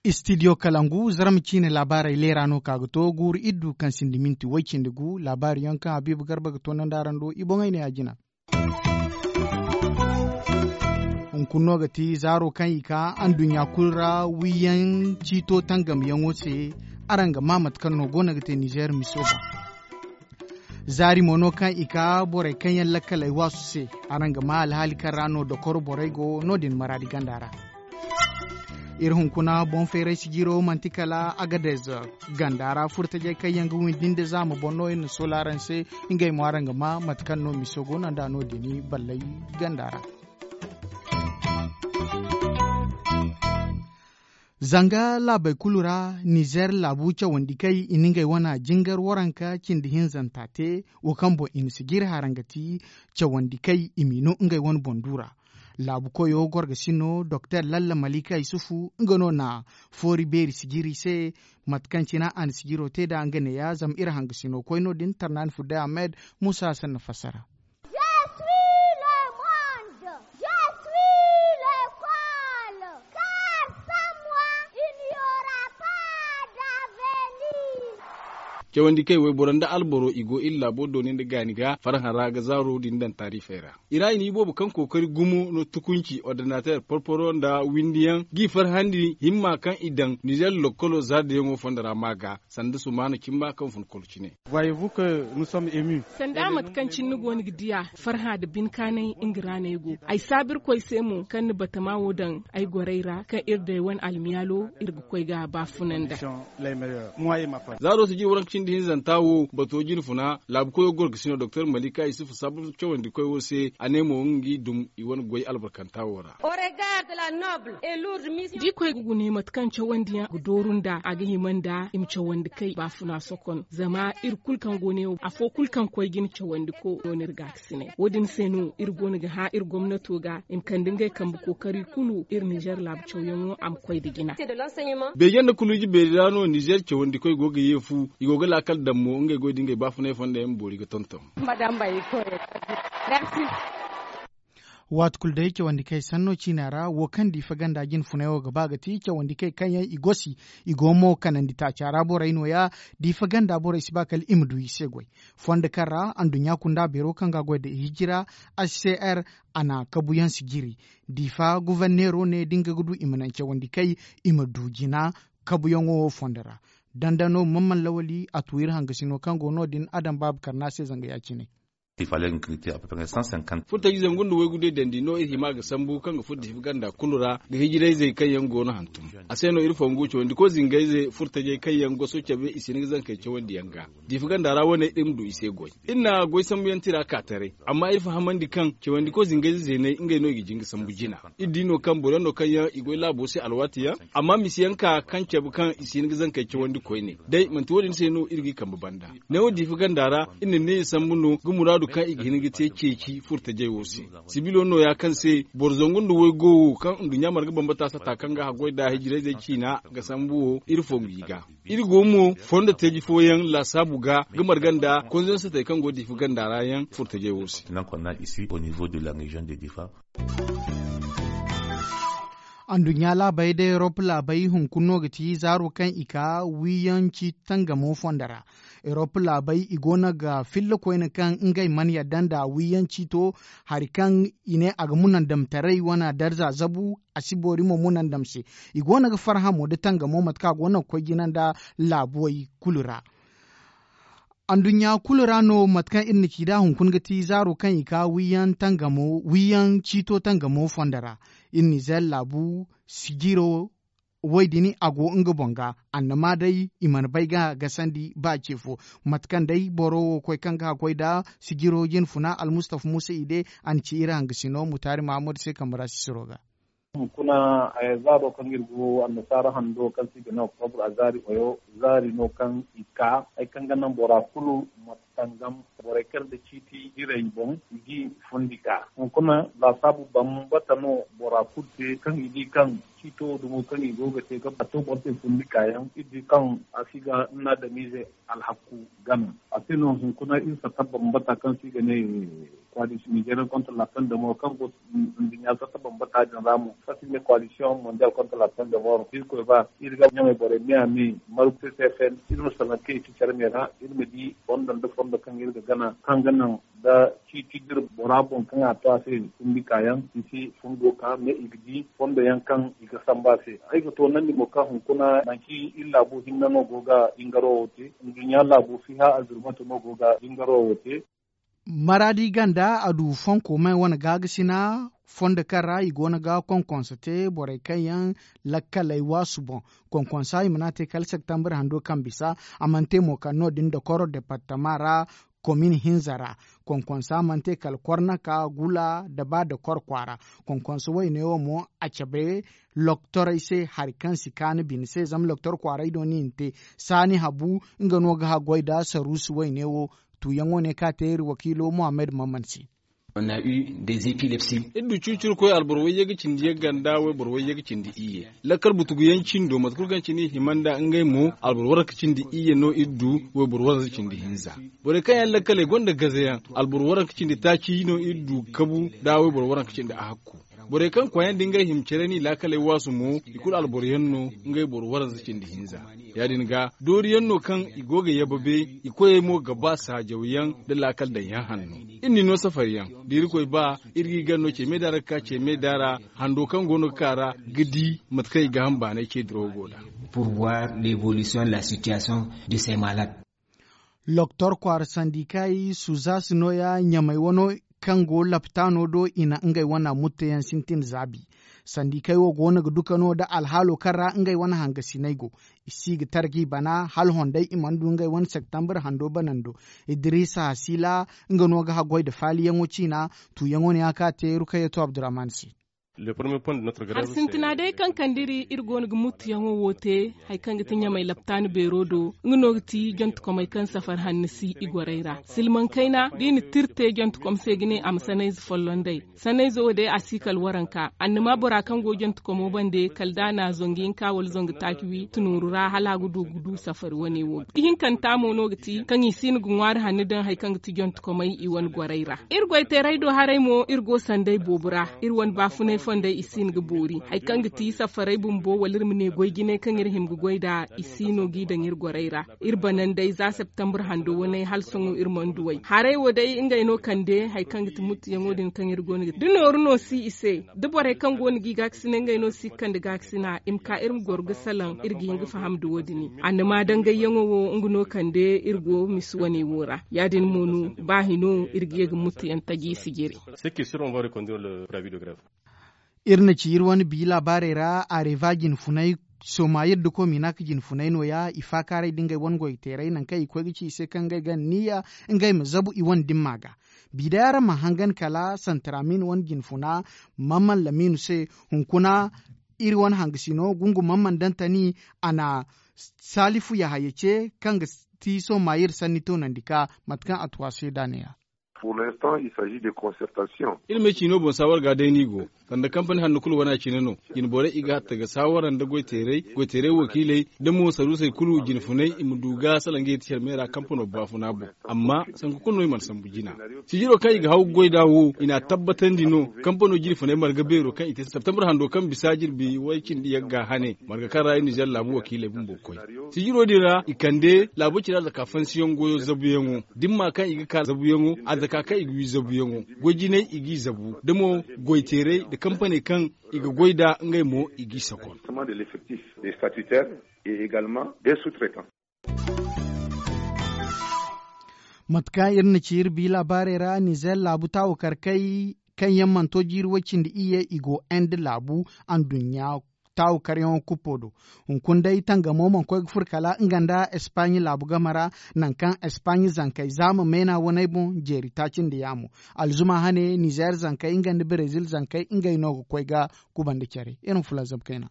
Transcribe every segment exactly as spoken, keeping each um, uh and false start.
Istidiyo kalangu zarma ciine laabaarey leera no ka ga to guuru iddu kaŋ sinda minti way cindi gu laabaari yaŋ kaŋ habiibu garba ga toonandi araŋ do i boŋey ne ya jina. Hunkuna no ga ti zaaro kaŋ i ka anduɲɲa kulu ra wiyaŋ ciito tangamyaŋo se. Araŋ ga maa mate kaŋ no go no ga te nizeer miso ga. Zaari mo no kaŋ i ka borey kaŋ yaŋ lakkaley waasu se. Araŋ ga maa alhaali kaŋ ra no dokoro borey go no- din maraadi ganda ra. Iri hunkuna boŋ feeray sijiro manti kala agadez ganda ra furtajey kaŋ yaŋ ga windi nda zaama boŋ no iri na soola araŋ se. Ngey mo araŋ ga maa mate kaŋ no miso go no nda no- din balley ganda ra. Zanga laabey kulu ra nizeer laabu cawandikey i na ngey wane jingar waranka cindi hinzanta te. Wo kaŋ boŋ i na sijiri hara nga ti cawandikey i m'i no ngey wane boŋ du ra. Laabu koyo gorgasino doktor lalla malika yusufu nga no na foori beeri sijiri se. Mate kaŋ cina a na sijiro te nd'a nga neeya zama iri hangasino koy no- din tarnaani fudday ahmed. Muusa hassan na fassara. Cawandi kay wayboro nda alboro i go iri laabo dooni nda gaani ga farhã ra ga zaaro din daŋ taarifey ra. I ra i na iboobo kaŋ kookari gumo no tukunci ordinateer porporo nda windiyaŋ g'i farhandi himma kaŋ i daŋ nizeer lokkolo zaaridiyaŋo fondo ra maa ga sanda sumaana cimma kaŋ fun kolo cine. Sanda mate kaŋ cine ni go no ga diya farhã nda binkaanay nga ra no ay go. Ay saabu irkoy se mo kaŋ na batama wo daŋ ay gorey ra kaŋ iri day wane almiyaalo iri ga koy ga a baafuna nda. Zaaro sijiri waranka cindi hinzanta wo bato jinfuna laabu koyo gorgasino doktor malika yusufu saabu cawandikoy wo se a ne mo nga i dum i wane goy albarkanta wo ra. Da i koy ga gune mate kaŋ cawandiyaŋ ga dooru nda a ga hima nda i ma cawandi kay baafuna sokon zama iri kulu kaŋ go ne wo afo kulu kaŋ koy ga i na cawandi ko no no iri ga a ga sinay wo- din se no iri go no ga hã iri gomnato ga i ma kande ngey kambe kookari kulu iri nizeer laabu cawyaŋo a ma koy nda jina. Beeje nda kuluuji beeri ra no nizeer cawandikoy go ga ye fu i go ga laakal daŋ mo ngey goy da ngey baafunay fonda yaŋ boori ga tonton. Waati kulu day cawandi kay sanno ciina ra wo kaŋ diifa ganda jinfunay wo ga ba ga ti cawandi kay kaŋ yaŋ i gosi i go mo kanandi taaca ra borey no- ya. Diifa ganda borey si ba kala i ma du i se goy fondo kaŋ ra anduɲɲa kunda beero kaŋ ga a goy nda hijira. H c r a na kabuyaŋ sijiri diifa guverneero ne da nga ga du i ma naŋ cawandi kay i ma du jina kabuyaŋo fondo ra. Dandano mamman lawali a tu iri hangasino kaŋ go no- din a daŋ baabu karna se zanga ya- cine. Furtaji zangu nda waygu day dandi no iri hima ga sambu kaŋ ga furo diifa ganda kulu ra ga hijirayzey kaŋ yaŋ go no hantum. A se no iri fongu cawandi koy zingayze furtajey kaŋ yaŋ goso cabe i si hin ga zankey cawandiyaŋ ga diifa ganda ra wane iri ma du i se goy. Iri na goy sambuyaŋ tira ka taray amma iri fahamandi kaŋ cawandi koy zingayze zeeney ngey no i ga jin ga sambu jina. Iri di no kaŋ boro yaŋ no kaŋ yaŋ i goy laabo se alwaati yaŋ amma misi yaŋ ka kaŋ cabe kaŋ i si hin ga zankey cawandi koyne day manti wo- din se no iri g'i kambe banda. Neewo diifa ganda ra iri na neeya sambu no ga muraadu kaŋ i ga hin ga te ceeci furtajey wo se. Sibilo no- ya kaŋ se boro zangu nda waygo wo kaŋ nduɲɲa marga bambata sata kaŋ ga haggoy nda hijirayzey ciina ga sambu wo iri fongu i ga. Iri go mo fondo teeji fooyaŋ laasaabu ga ga marga nda konzensatey kaŋ go diifa ganda ra yaŋ furtajey wo se. Anduɲɲa laabey da erop laabey hunkuna no ga ti zaaro kaŋ i ka wiiyaŋ ciiti tangamo fondo ra. Erop laabey i go no ga filla koyne kaŋ ngey mana yadda nda wiiyaŋ ciito hari kaŋ i ne a ga munandamtaray wane darza zabu a si boori mo munandam se. I go no ga farhã mo nda tangamo mate kaŋ a go no ga koy jina nda laabuwey kulu ra. Anduɲɲa kulu ra no mate kaŋ iri na ci nd'a hunkuna ga ti zaaro kaŋ i ka wiiyaŋ tangamo wiiyaŋ ciito tangamo fondo ra. Iri nizeer laabu sijiro woy din a go nga boŋ ga. Annama day i mana bay ga gasandi ba ce fo. Mate kaŋ day boro wo koy kaŋ ga a koy nda sijiro jinfuna almustafa muusa i de a na ci iri hangasino mutaari mahammadu se kambe ra sisiro ga. Hunkuna zaaro kaŋ iri go annasaara hando kaŋ se i ga ne oktobur a zaari oyo zaari no kaŋ i ka hari kaŋ ga naŋ bora kulu ma tangam. Borey kaŋ nda ciiti jirey boŋ i g'i fundi ka hunkuna laasaabu bambata no bora kulu te kaŋ i di kaŋ ciito dumo kaŋ i go ga te ga bato boro se fundi kaayaŋ iri di kaŋ a si ga nna damize alhakku gana. A se no hunkuna iri satta bambata kaŋ se i ga ne koalisiyoŋ nizeriyaŋ kontra la pen de mor kaŋ go nduɲɲa satta bambata din ra mo kaŋ se i ga ne koalisiyoŋ mondial kontra la pen de mor irkoy ba iri ga ɲamey borey me a me margu se se fen iri ma salaŋ kaŋ i si care me ra iri ma di fondo nda fondo kaŋ iri ga gana kaŋ ga naŋ da ciiti dira bora boŋ kaŋ a to a se fundi kaayaŋ i si fundo ka me i ga di fondo yaŋ kaŋ i ga samba se. Ay ga toonandi mo kaŋ hunkuna nanci iri laabu hinne no go ga jingaro wo te nduɲɲa laabu fiha azurmatu no go ga jingaro wo te. Maraadi ganda a du fonko may wane gaagasina fondo kaŋ ra i go no ga konkonso te borey kaŋ yaŋ lakkaley waasu boŋ. Konkonsa i mana te kala septambur hando kaŋ bisa a mana te mo kala no- din dokoro departama ra komin hinza ra. Konkonsa mana te kala kornaka gula da ba dokoro kwaara. Konkonsa wayne wo mo a cabe loktorey se hari kaŋ si kaanu bine se zama loktor kwaarey do no i na te saani habu nga no ga haggoy nda saruusi wayne wo. Tuuyaŋo ne kaŋ a te iri wakiilo muhammad maman se. Iri du cucurkoy alboro wayye ga cindi yagga nda wayboro wayye ga cindi iyye. Lakkal butugu yaŋ cindo mate kulu kaŋ cine i hima nda ngey mo alboro waranka cindi iyye no iri du wayboro waranka cindi hinza. Borey kaŋ yaŋ lakkaley gonda gaze yaŋ alboro waranka cindi taaci no iri du kabu nda wayboro waranka cindi ahakku. Borey kaŋ kwaayandi ngey hima care n'i laakaley waasu mo i kulu alboro yaŋ no. Ngey boro waranza cindi hinza ya- din ga doori yaŋ no kaŋ i go ga yababe i koyey mo ga ba saajaw yaŋ nda laakal daŋ yaŋ hanno. Iri n'i no safari yaŋ da irkoy ba iri g'i gana no ce me da ra ga ka ce me da ra hando kaŋ go no ga ka ra ga di mate kaŋ i ga ham baanay ce dirawo go nd'a. Pour voir l'évolution de la situation de ces malades. Loktor kwaara sandikay suzas nooya ɲamey wano kaŋ go laptaano do i na ngey wane mutteyaŋ sintin zaabi. Sandikay wo go no ga duka no nda alhaalo kaŋ ra ngey wane hangasiney go. I si ga tara g'i bana hala hondey i mana du ngey wane septambur hando banando. Idiriisa hasiila nga no ga haggoy nda faaliyaŋo ciina. Tuuyaŋo ne a ka te rukayatu abdurahman se. Hari sintina day kaŋ kande iri iri go no ga muttuyaŋo wo te hari kaŋ ga ti ɲamey laptaani beero do nga no ga ti jontekomey kaŋ safar hanno si i gorey ra. Silmaŋ kayna da i na tira te jontekom se ga ne a ma sanayze folloŋ day. Sanayze wo day a si kala waranka annama bora kaŋ go jontekomo bande kala da a na zangu hinka wala zangu taaci wi tunooru ra hala a ga du ga du safari wane wo ga ihinkanta mo no ga ti kaŋ i si no ga ŋwaari hanno daŋ hari kaŋ ga ti jontekomey i wane gorey ra. Iri goyteeray do haray mo iri go sanday boobo ra. Iri wane baafunay fondey i si no ga boori hari kaŋ ga ti safarey bumbo wala iri ma ne goy jinay kaŋ iri hima ga goy nd'a i si no g'i daŋ iri gorey ra. Iri bananday za septambur hando waney hala sohõ iri mana duw'ey haray wo day ngey no kande hari kaŋ ga ti muttuyaŋo din kaŋ iri go no ga te da nooru no si i se. Da borey kaŋ go no g'i gaakasinay ngey no si ga kande gaakasina i ma ka iri ma goro ga salaŋ iri ga hin ga faham nda wo- din. Annama dangayyaŋo wo nga no kande iri go misi wane wo ra ya- din mo no ba hino iri ga ye ga muttuyaŋ taji sijiri. Iri na ci iri wane bi laabaarey ra areva jinfunay sooma iri da kominak jinfunay nooya i faakaaray da ngey wane goyteeray nangu kaŋ i koy ga ci i se kaŋ ngey ga anniya ngey ma zabu i wane dimma ga. Bi day araŋ mana hangan kala santramin wane jinfuna mamman laminu se. Hunkuna iri wane hangasino gungu mamman dantani a na salifu yahaya ce kaŋ ga ti sooma iri sanni toonandi ka mate kaŋ a tu a se da a ne ya. Iri ma ay ciino boŋ saawar ga day no i go. Sanda kampani hanno kulu wane a cine no. Jinborey i ga hatta ga saawara nda goyteeray goyteeray wakiiley da mo saruusey kulu jinfunay i ma du ga salaŋ ga yeti care me ra kampano baafuna boŋ. Amma sanku kulu no i mana sambu jina. Sijiro kaŋ i ga haw ga goy nd'a wo i n'a tabbatandi no. Kampano jinfunay marga beero kaŋ i te septembre hando kaŋ bisa jirbi way cindi yagga hane marga kaŋ ra i nizer laabu wakiiley bumbo koy. Sijiro din ra i kande laabo cine arzaka fansiyaŋ goyo zabuyaŋo dimma kaŋ i ga ka zabuyaŋo arzaka kaŋ i ga wi zabuyaŋo goy jinay i g'i zabu da mo goyteeray nda kampaney kaŋ i ga goy nd'a ngey mo i g'i sakon. Mate kaŋ iri na ci iri bi laabaarey ra nizer laabu taawo karkay kaŋ yaŋ mana to jiiri way cindi iyye i go inde laabu anduɲɲa taawo karyaŋo kuppo do. Hunkuna day tangamo mana koy ga furo kala nga nda espaɲe laabu game ra nangu kaŋ espaɲe zankey za ma meena waney boŋ jeeri taaci nda yaamo. Alzuma hane nizer zankey nga nda brezil zankey ngey no ga koy ga kubanda care iri ma fulaŋ zabu kayna.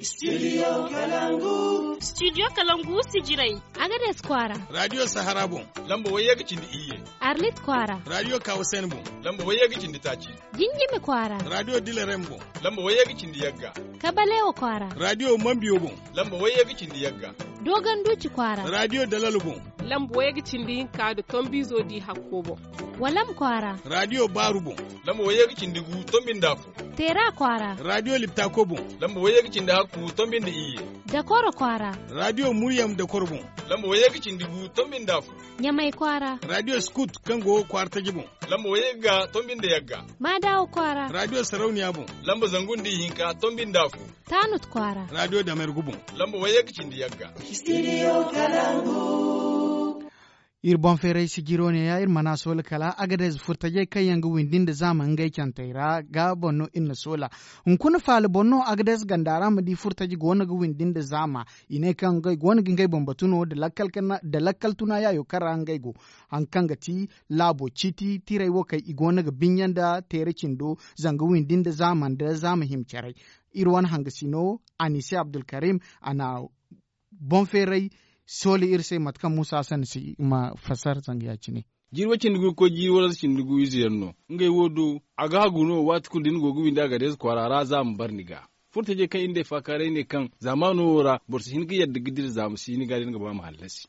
Studio kalangu. Studio kalangu sijirey. Agades kwaara. Radio sahara boŋ. Lamba wayye ga cindi iyye. Arlit kwaara. Radio kawasen boŋ. Lamba wayye ga cindi taaci. Jinjimi kwaara. Radio dilerem boŋ. Lamba wayye ga cindi yagga. Kabalewa kwaara. Radio mambiyo boŋ. Lamba wayye ga cindi yagga. Dogon duci kwaara. Radio dalal boŋ. Lamba wayye ga cindi hinka da tombizo di hakko boŋ. Walam kwaara. Radio baaru boŋ. Lamba wayye ga cindi gu tombi nda afo. Teera kwaara. Radio liptako boŋ. Lamba wayye ga cindi hakku tombi nda iyye. Dakoro kwaara. Radio muryam dakoro boŋ. Lamba wayye ga cindi gu tombi nda afo. Ɲamay kwaara. Radio skut kaŋ go kwaara taji boŋ. Lamba wayye ga tombi nda yagga. Maadawa kwaara. Radio sarauniya boŋ. Lamba zangu nda ihinka tombi nda afo. Taanut kwaara. Radio damergu boŋ. Lamba wayye ga cindi yagga. Studio kalangu. Iri boŋ feeray sijiro ne ya iri mana soola kala agadez furtajey kaŋ yaŋ ga windi nda zaama ngey cantey ra ga boŋ no iri na soola. Hunkuna faala boŋ no agadez ganda ra ma di furtaji goono ga windi nda zaama. I ne kaŋ ngey goono ga ngey boŋ batu no da lakkal tuna yaayo kaŋ ra ngey go. Hari kaŋ ga ti laabo ciiti tiray wo kaŋ i goono ga binya nda teere cindo zanga windi nda zaama nda zaama hima caray. Iri wane hangasino anise abdulkarim a na boŋ feeray sooli iri se mate kaŋ muusa hassan si ma fassara zanga ya-cine. Jiiri wo cindi gu ga koy jiiri wo ra cindi gu ize yaŋ no. Ngey wo do a ga hagu no waati kulu da ni go ga windi a ga deeza kwaara ra za a ma bare ni ga. Furtajey kaŋ iri nda ay faakaaray ne kaŋ zaamaano wo ra boro si hin ga yadda ga dira zaama si ni ga da ni ga ba ma hallasi.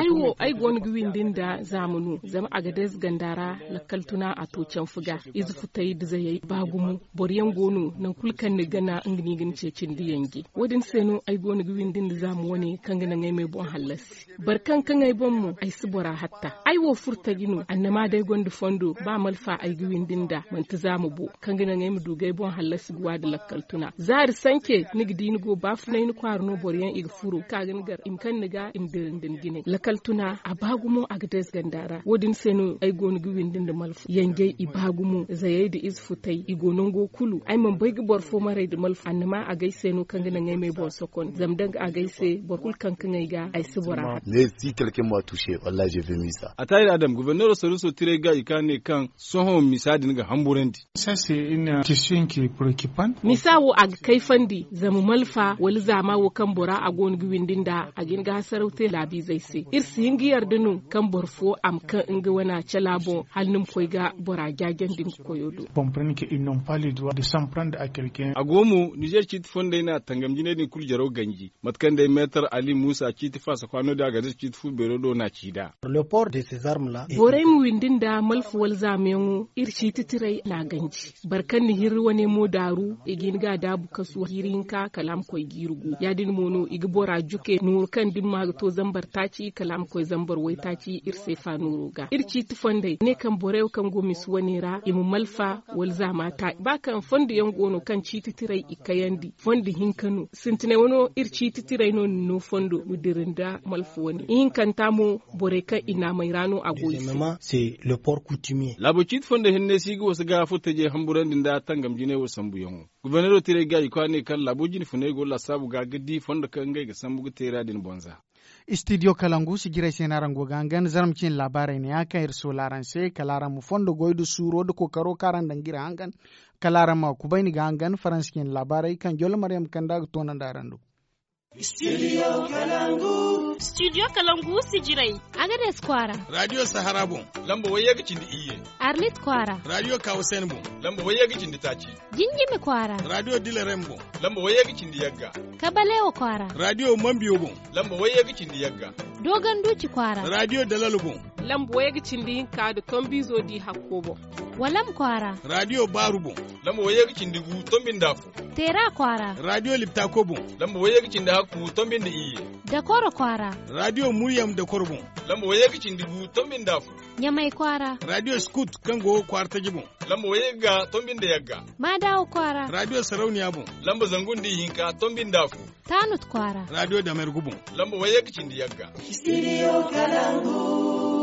Ay wo ay go no ga windi nda zaama no zama a ga deeza ganda ra. Lakkal tuna a to canfu ga ize futay da zayey ba gumo. Boro yaŋ go no nangu kulu kaŋ ni gana nga no i ga ni ceeci nda yanje. Wo- din se no ay go no ga windi nda zaama wane kaŋ ga naŋ ay ma ay boŋ hallasi. Boro kaŋ kaŋ ay boŋ mo ay si bora hatta. Ay wo furtaji no annama day gonda fondo ba malfa ay ga windi nda manti zaama bo. Kaŋ ga naŋ ay ma du ga ay boŋ hallasi ga wa da lakkal tuna zaari sanke ni ga di ni go baafunay ni kwaara no boro yaŋ i ga furo ka ga ni gar i ma kaŋ ni ga i ma dira nda ni jinay lakkal tuna a ba gumo a ga deeza ganda ra wo- din se no ay go no ga windi nda malfa yanjay i ba gumo zayey nda ize futay i go nango kulu ay mana bay ga boro fo maray nda malfa annama a ga ay se no kaŋ ga naŋ ay ma ay boŋ sokon zama danga a ga ay se boro kulu kaŋ kaŋ ay ga ay si bora. Ataahir adam goborneero saruuso tiray ga i ka ne kaŋ sohõ misa din ga hamburandi. Misa wo a ga kayfandi zama malfa wala zaama wo kaŋ bora a go no ga windi nda a ga hin ga hasaraw te laabiizey se iri si hin ga yarda no kaŋ boro fo a ma kaŋ nga wana cala boŋ hala ni ma koy ga bora jaajandi nga koyo do. A go mo nizer ciiti fondey no a tangam jinay din kulu jaraw ganji mate kaŋ day meetar ali muusa ciiti faasa kwaano din a ga day ciiti fu beero do no a ci nd'a. Borey ma windi nda malfa wala zaamayaŋo iri ciiti tiray no a ganji. Boro kaŋ na hirri wane mo daaru i ga hin ga a daabu kasu jiiri hinka kala a ma koy jiiri gu ya- din mo no i ga bora juke nooru kaŋ da ni ma ga to zambar taaci kala a ma koy zambar waytaaci iri seefa nooro ga iri ciiti fondey ne kaŋ borey wo kaŋ go misa wane ra i ma malfa wala zaama taaci ba kaŋ fondo yaŋ go no kaŋ ciiti tiray i kayandi fondo hinka no sintinay wano iri ciiti tiray no ni no fondo ma dira nda malfa wane ihinkanta mo borey kaŋ i naamey ra no a go i se. Laabo ciiti fondo hinne si ga wasu ga furtajey hamburandi nda tangam jinay wo sambuyaŋo. Goborneero tiray ga i kwaanay kaŋ laabo jine funay go laasaabu ga ga di fondo kaŋ ngey ga sambu ga teera din bonza. Istidiyo kalangu sijirey se no araŋ go ga hangan zarma cine laabaarey ne ya kaŋ iri soola araŋ se kala araŋ ma fondo goy nda suuro nda kookaro kaŋ araŋ daŋ ga iri hangan. Kala araŋ ma kubayni ga hangan faransi cine laabaarey kaŋ jollo maryam kanda ga toonandi araŋ do. Studio kalangu sijirey. Agades kwaara. Radio sahara boŋ. Lamba wayye ga cindi iyye. Arlit kwaara. Radio kawasen boŋ. Lamba wayye ga cindi taaci. Jinjimi kwaara. Radio dilerem boŋ. Lamba wayye ga cindi yagga. Kabalewa kwaara. Radio mambiyo boŋ. Lamba wayye ga cindi yagga. Dogon duci kwaara. Radio dalal boŋ. Lamba wayye ga cindi hinka nda tombizo di hakko boŋ. Walam kwaara. Radio baaru boŋ. Lamba wayye ga cindi gu tombi nda afo. Teera kwaara. Radio liptako boŋ. Lamba wayye ga cindi hakku tombi nda iyye. Dakoro kwaara. Radio muryam dakoro boŋ. Lamba wayye ga cindi gu tombi nda afo. Ɲamay kwaara. Radio skut kaŋ go kwaara taji boŋ. Lamba wayye ga tombi nda yagga. Maadawa kwaara. Radio sarauniya boŋ. Lamba zangu nda ihinka tombi nda afo. Taanut kwaara. Radio damergu boŋ. Lamba wayye ga cindi yagga. Studio kalangu.